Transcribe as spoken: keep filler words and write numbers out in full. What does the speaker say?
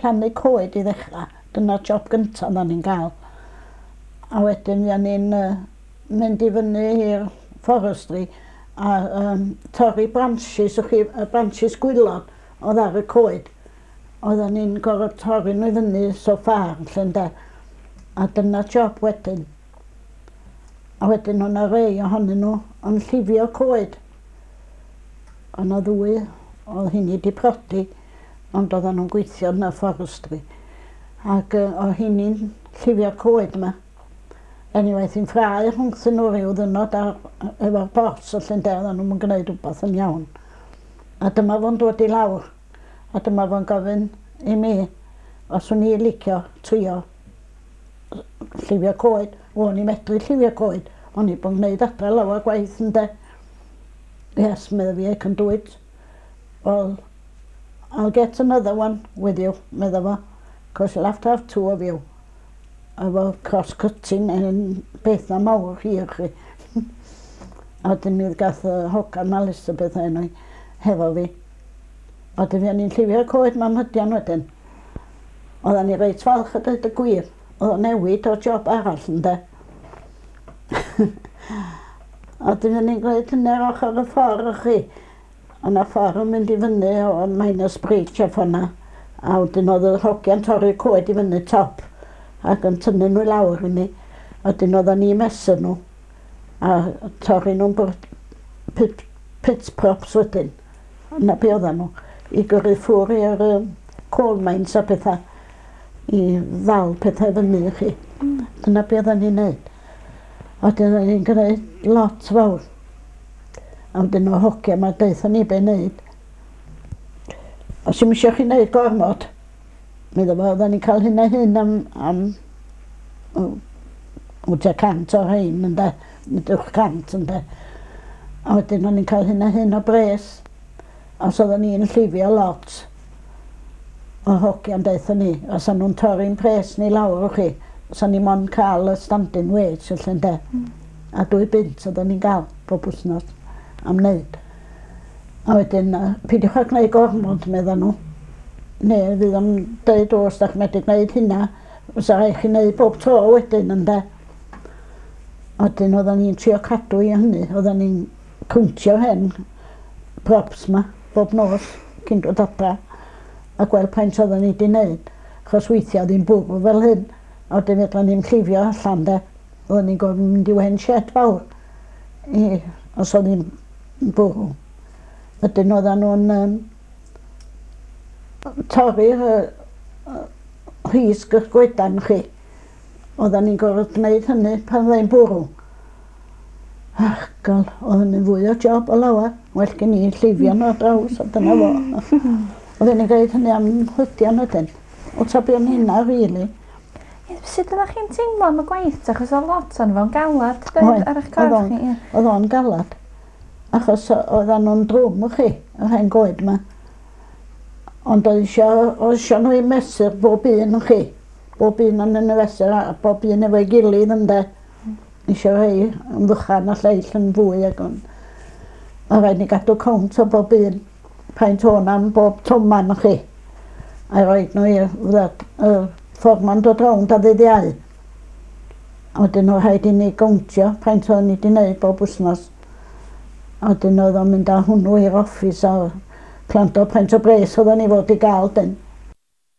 Plannu coed i ddechrau, dyna'r job gyntaf oedden ni'n gael. A wedyn fuon ni'n uh, mynd i fyny i'r forestry a um, torri branches, wch chi, y branches gwaelod oedd ar y coed. Oedden ni'n gorfod torri nhw i fyny so far, lle ynde. A dyna job wedyn. A wedyn o'na rei ohonyn nhw yn llifio coed. O'na ddwy, oedd hynny di prodi, ond oedden nhw'n gweithio yn y forestry. Ac uh, oedd hynny'n llifio coed yma. Anyway, hi'n ffrae rhwngthyn nhw ryw ddynod ar, efo'r boss y lle ynde, oedden nhw'n gwneud rhywbeth yn iawn. A dyma fo'n dod i lawr. A dyma fo'n gofyn i mi os o'n i licio trio llifio coed. O'n i medru llifio coed. O'n i bod yn gwneud adre lawer gwaith ynde. "Yes," medda fi, "I can do it." "Well, I'll get another one with you," medda fo. "'Cause you'll have to have two of you." Efo cross-cutting yn beth na mawr hir chi. A wedyn mi gath y hogan Elizabeth enw hi hefo fi. A wedyn fuon ni'n llifio'r coed 'ma am hydian wedyn. Oedden ni reit falch a dweud y gwir. Oedd o'n newid o job arall ynde. A wedyn fuon ni'n gwneud hynny ar ochr y ffordd chi. O'na ffordd yn mynd i fyny o Miners Bridge a ffordd A wedyn oedd y hogiau'n torri'r coed i fyny top ac yn tynnu nhw i lawr i ni. A wedyn oedden ni'n mesur nhw a torri nhw'n pit, pit props wedyn. 'Na be oedden nhw. I gyrru ffwr i'r um, coal mines a pethau i ddal pethau fyny i chi. Dyna be oedden ni'n neud. A wedyn oedden ni'n gwneud lot fawr. A wedyn o hogia 'ma deutha ni be wneud. "Os dim eisiau chi wneud gormod," medda fo, oedden ni'n cael hyn a hyn am, am o, tua cant o rhain ynde, nid uwch cant ynde. A wedyn o'n i'n cael hyn a hyn o bres. Os oedden ni'n llifio lot o hogiau'n deutha ni, os o'n nhw'n torri'n pres ni lawr o'ch chi, os o'n ni mond cael y standing wage felly ynde. Mm. A dwy bunt oedden ni'n gael bob wythnos am wneud. A wedyn, uh, "Peidiwch â gwneud gormod," medda nhw. "Neu fydd o'n deud os da chi'n medru gwneud hynna, fysa rhaid chi wneud bob tro wedyn ynde." A wedyn oedden ni'n trio cadw i hynny, oedden ni'n cwntio hen props ma bob nos cyn dod adra a gweld paint oedden ni wedi wneud. Achos weithiau oedd hi'n bwrw fel hyn, a wedyn fedra ni'n llifio allan de. Oedden ni'n gorfod mynd i hen shed fawr i, os oedd hi'n bwrw. Wedyn oedden nhw'n um, torri'r uh, rhisg y goedan chi. Oedden ni'n gorfod gwneud hynny pan oedd hi'n bwrw. Ach, gol, oedd hynny'n fwy o job o lawer. Well gen i llifio nhw ar draws, a dyna fo. Oedden ni'n gwneud hynny am hydian wedyn. O ta be o'n hynna, really. Sut ydych chi'n teimlo am y gwaith? Achos oedd lot o'n fo'n galad doedd, ar eich Oedd corff o'n- chi. Ie. Oedd o'n galad. Achos oedden nhw'n drwm chi, yr hen goed yma. Ond oedd isio, oedd isio nhw i mesur bob un chi. Bob un yn y fesur a bob un efo'i gilydd ynde. Isio rhei yn fychan a lleill yn fwy ac yn... A rhaid ni gadw cownt o bob un. Paint o'n am bob toman chi. A roed nhw i'r y fforman dod rownd a ddydd Iau. A wedyn oedd rhaid i ni gowntio paint o'n ni wedi wneud bob wythnos. A wedyn oedd o'n mynd â hwnnw i'r office a plant o paint o bres oedden ni fod i gael dyn.